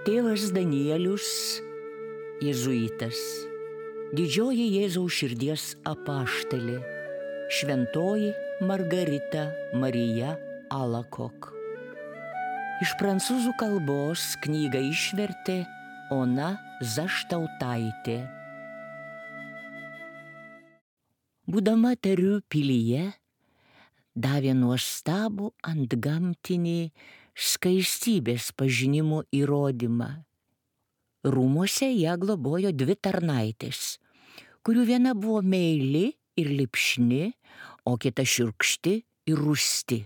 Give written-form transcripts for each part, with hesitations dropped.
Tėvas Danielius, jėzuitas, didžioji Jėzaus širdies apaštalė, šventoji Margarita Marija Alacoque. Iš prancūzų kalbos knygą išvertė Ona Zaštautaitė. Būdama Tarių pilyje, davė nuostabų antgamtinį skaistybės pažinimo įrodymą. Rūmuose ją globojo 2 tarnaitės, kurių viena buvo meili ir lipšni, o kita šiurkšti ir rūsti.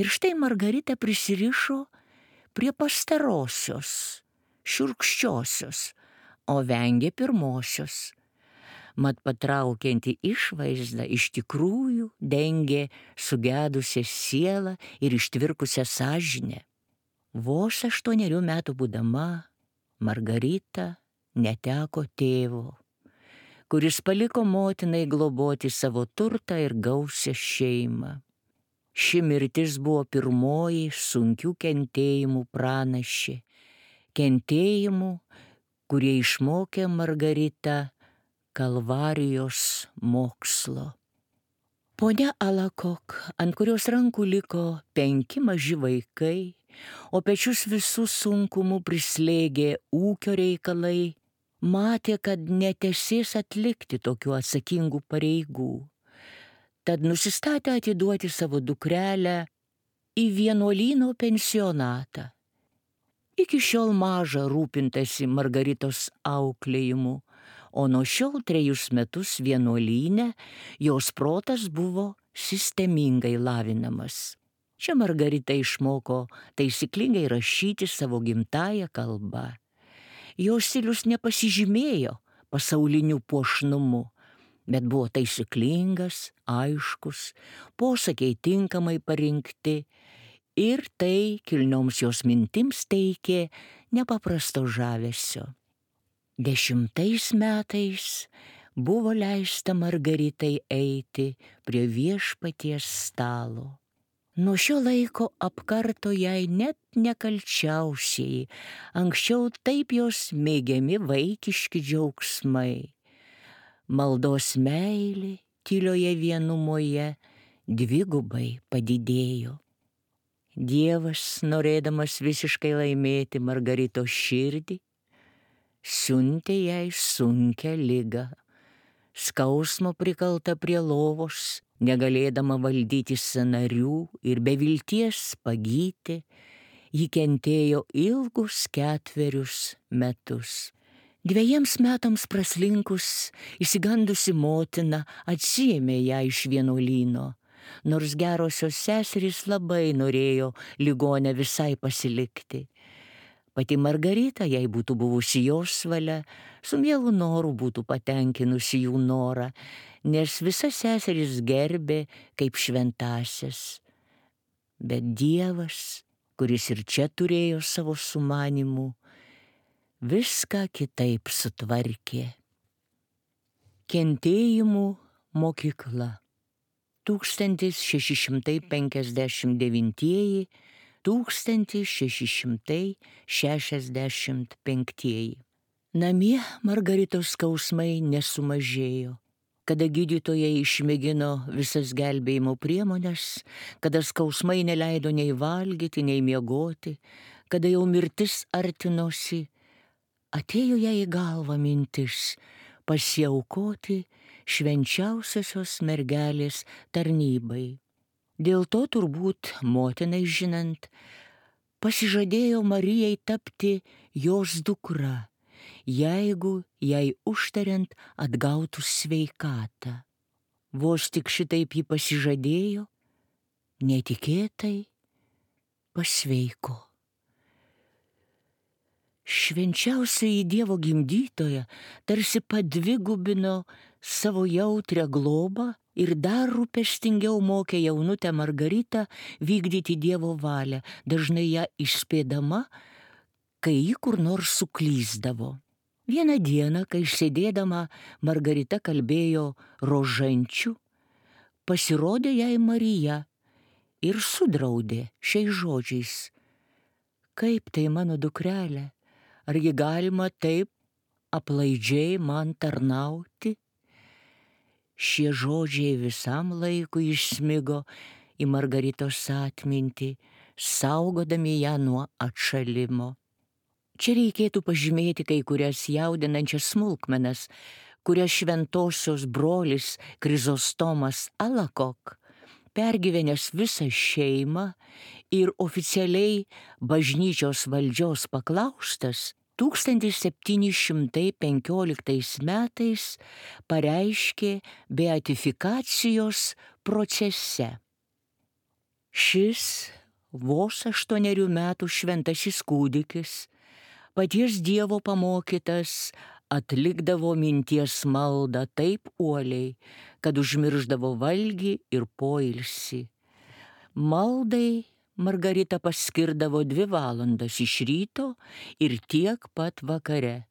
Ir štai Margarita prisirišo prie pastarosios, šiurkščiosios, o vengė pirmosios. Mat patraukianti išvaizda iš tikrųjų dengė sugedusią sielą ir ištvirkusią sąžinę. Vos 8 metų būdama, Margarita neteko tėvo, kuris paliko motinai globoti savo turtą ir gausią šeimą. Ši mirtis buvo pirmoji sunkių kentėjimų pranašė, kentėjimų, kurie išmokė Margaritą Kalvarijos mokslo. Ponia Alacoque, ant kurios rankų liko 5 maži vaikai, o pečius visų sunkumų prislėgė ūkio reikalai, matė, kad netesės atlikti tokių atsakingų pareigų. Tad nusistatė atiduoti savo dukrelę į vienuolyno pensionatą. Iki šiol maža rūpintasi Margaritos auklėjimu, o nuo šiol 3 metus vienuolyne jos protas buvo sistemingai lavinamas. Čia Margarita išmoko taisyklingai rašyti savo gimtąją kalbą. Jos stilius nepasižymėjo pasauliniu puošnumu, bet buvo taisyklingas, aiškus, posakiai tinkamai parinkti ir tai kilnioms jos mintims teikė nepaprasto žavesio. 10 metais buvo leista Margaritai eiti prie viešpaties stalo. Nuo šio laiko apkarto jai net nekalčiausieji, anksčiau taip jos mėgiami vaikiški džiaugsmai. Maldos meilė tylioje vienumoje 2 padidėjo. Dievas, norėdamas visiškai laimėti Margaritos širdį, siuntė jai sunkią ligą. Skausmo prikalta prie lovos, negalėdama valdyti sąnarių ir be vilties pagyti, ji kentėjo ilgus 4 metus. 2 metams praslinkus, išsigandusi motina atsiėmė ją iš vienuolyno, nors gerosios seserys labai norėjo ligonę visai pasilikti. Pati Margarita, jei būtų buvusi jos valia, su mielu noru būtų patenkinusi jų norą, nes visas seseris gerbė kaip šventąsias. Bet Dievas, kuris ir čia turėjo savo sumanimų, viską kitaip sutvarkė. Kentėjimų mokykla. 1665. Namie Margaritos skausmai nesumažėjo. Kada gydytojai išmėgino visas gelbėjimo priemonės, kada skausmai neleido nei valgyti, nei miegoti, kada jau mirtis artinosi, atėjo jai į galvą mintis pasiaukoti švenčiausiosios mergelės tarnybai. Dėl to turbūt motinai žinant, pasižadėjo Marijai tapti jos dukra, jeigu jai užtariant atgautų sveikatą. Vos tik šitaip ji pasižadėjo, netikėtai pasveiko. Švenčiausioji Dievo gimdytoja tarsi padvigubino savo jautrią globą ir dar rūpestingiau mokė jaunutę Margaritą vykdyti Dievo valią, dažnai ją išspėdama, kai ji kur nors suklysdavo. Vieną dieną, kai sėdėdama Margarita kalbėjo rožančių, pasirodė jai Marija ir sudraudė šiais žodžiais: Kaip tai, mano dukrelė, Argi galima taip aplaidžiai man tarnauti? Šie žodžiai visam laikui išsmigo į Margaritos atmintį, saugodami ją nuo atšalimo. Čia reikėtų pažymėti kai kurias jaudinančias smulkmenas, kurias šventosios brolis Krizostomas Alakok, pergyvenęs visą šeimą ir oficialiai bažnyčios valdžios paklaustas, 1715 metais pareiškė beatifikacijos procese. Šis vos 8 metų šventasis kūdikis, paties Dievo pamokytas, atlikdavo minties maldą taip uoliai, kad užmirždavo valgį ir poilsį. Maldai Margarita paskirdavo 2 valandas iš ryto ir tiek pat vakare.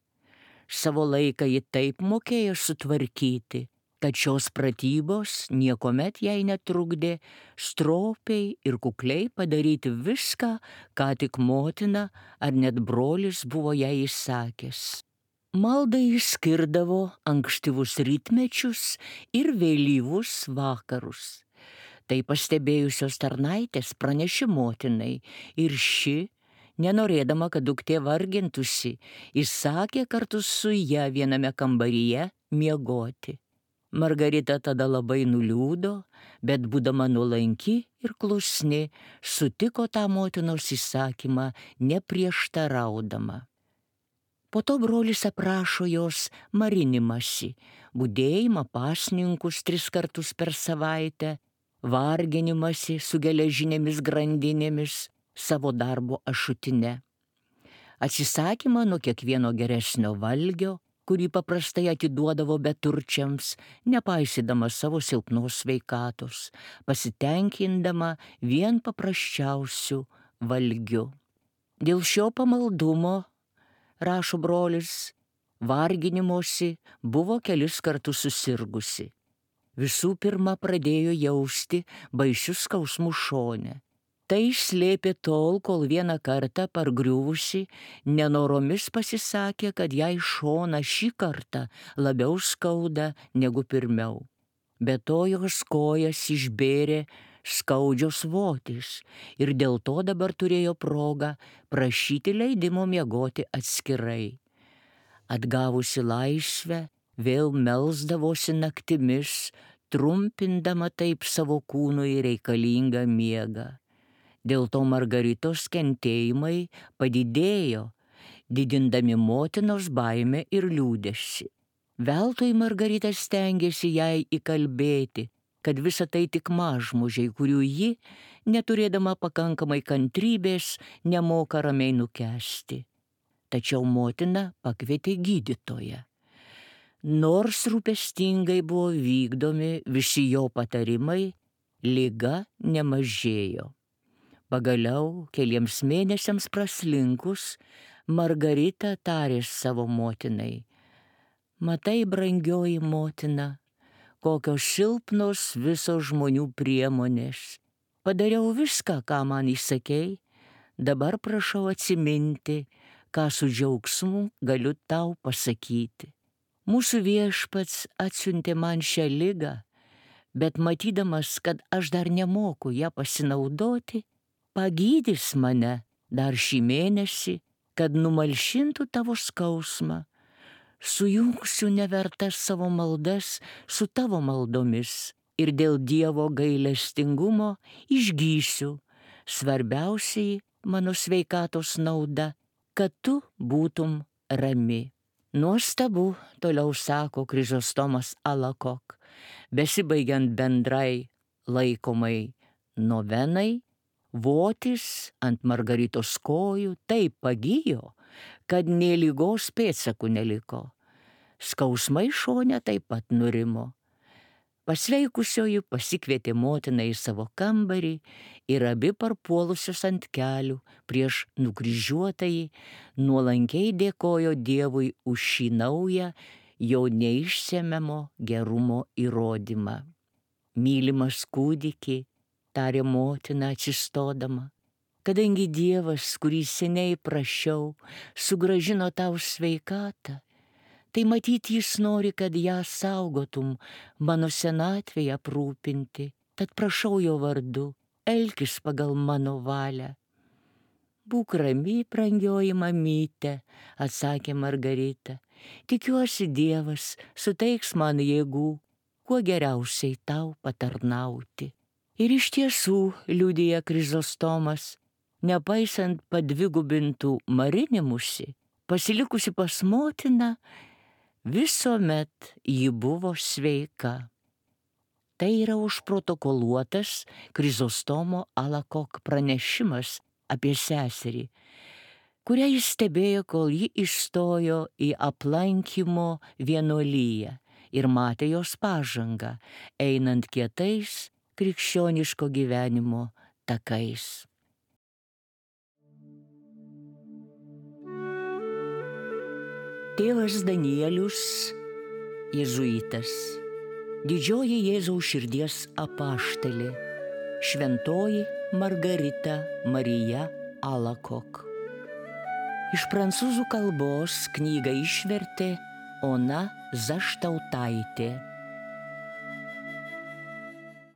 Savo laiką ji taip mokėjo sutvarkyti, kad šios pratybos niekuomet jai netrukdė stropiai ir kukliai padaryti viską, ką tik motina ar net brolis buvo jai įsakęs. Maldai jis skirdavo ankstyvus rytmečius ir vėlyvus vakarus. Tai pastebėjusios tarnaitės pranešė motinai ir ši, nenorėdama, kad duktė vargintųsi, įsakė kartu su ja viename kambaryje miegoti. Margarita tada labai nuliūdo, bet būdama nuolanki ir klusni, sutiko tą motinos įsakymą neprieštaraudama. Po to brolis aprašo jos marinimąsi, budėjimą pasninkus 3 kartus per savaitę, varginimąsi su geležinėmis grandinėmis, savo darbo ašutine, atsisakymą nuo kiekvieno geresnio valgio, kurį paprastai atiduodavo beturčiams, nepaisydama savo silpnos sveikatos, pasitenkindama vien paprasčiausiu valgiu. Dėl šio pamaldumo, rašo brolis, varginimosi buvo kelis kartus susirgusi. Visų pirma pradėjo jausti baisius skausmus šone. Tai slėpė tol, kol vieną kartą pargriuvusi nenoromis pasisakė, kad jai šoną šį kartą labiau skauda negu pirmiau. Be to jos kojas išbėrė skaudžios votys ir dėl to dabar turėjo progą prašyti leidimo miegoti atskirai. Atgavusi laisvę, vėl melsdavosi naktimis, trumpindama taip savo kūnui reikalingą miegą. Dėl to Margaritos kentėjimai padidėjo, didindami motinos baimę ir liūdesį. Veltui Margarita stengėsi jai įkalbėti, kad visa tai tik mažmužiai, kurių ji, neturėdama pakankamai kantrybės, nemoka ramiai nukęsti. Tačiau motina pakvietė gydytoją. Nors rūpestingai buvo vykdomi visi jo patarimai, liga nemažėjo. Pagaliau, keliems mėnesiams praslinkus, Margarita tarė savo motinai: matai, brangioji motina, kokios silpnos visos žmonių priemonės. Padariau viską, ką man įsakei, dabar prašau atsiminti, ką su džiaugsmu galiu tau pasakyti. Mūsų Viešpats atsiuntė man šią ligą, bet matydamas, kad aš dar nemoku ją pasinaudoti, pagydys mane dar šį mėnesį, kad numalšintų tavo skausmą. Sujungsiu nevertas savo maldas su tavo maldomis ir dėl Dievo gailestingumo išgysiu. Svarbiausiai mano sveikatos nauda, kad tu būtum rami. Nuostabu, toliau sako Krizostomas Alakok, besibaigiant bendrai laikomai novenai, votis ant Margaritos kojų taip pagijo, kad nė ligos pėdsakų neliko. Skausmai šone taip pat nurimo. Pasveikusioji pasikvietė motiną į savo kambarį ir abi parpuolusios ant kelių prieš nukryžiuotąjį nuolankiai dėkojo Dievui už šį naują jo neišsemiamo gerumo įrodymą. Mylimas kūdiki, tarė motina atsistodama, kadangi Dievas, kurį seniai prašiau, sugrąžino tau sveikatą, tai matyt jis nori, kad ją saugotum, mano senatvėje aprūpinti, tad prašau jo vardu, elkis pagal mano valią. Būk rami, brangioji mamyte, atsakė Margarita. Tikiuosi Dievas suteiks man jėgų, kuo geriausiai tau patarnauti. Ir iš tiesų, liudija Krizostomas, nepaisant padvigubintų marinimusi, pasilikusi pas motiną, visuomet ji buvo sveika. Tai yra užprotokoluotas Krizostomo Alakok pranešimas apie seserį, kurią jis stebėjo, kol ji įstojo į aplankymo vienuolyją ir matė jos pažangą, einant kietais krikščioniško gyvenimo takais. Tėvas Danielius, jėzuitas, didžioji Jėzaus širdies apaštalė, šventoji Margarita Marija Alakok. Iš prancūzų kalbos knygą išvertė Ona Zaštautaitė.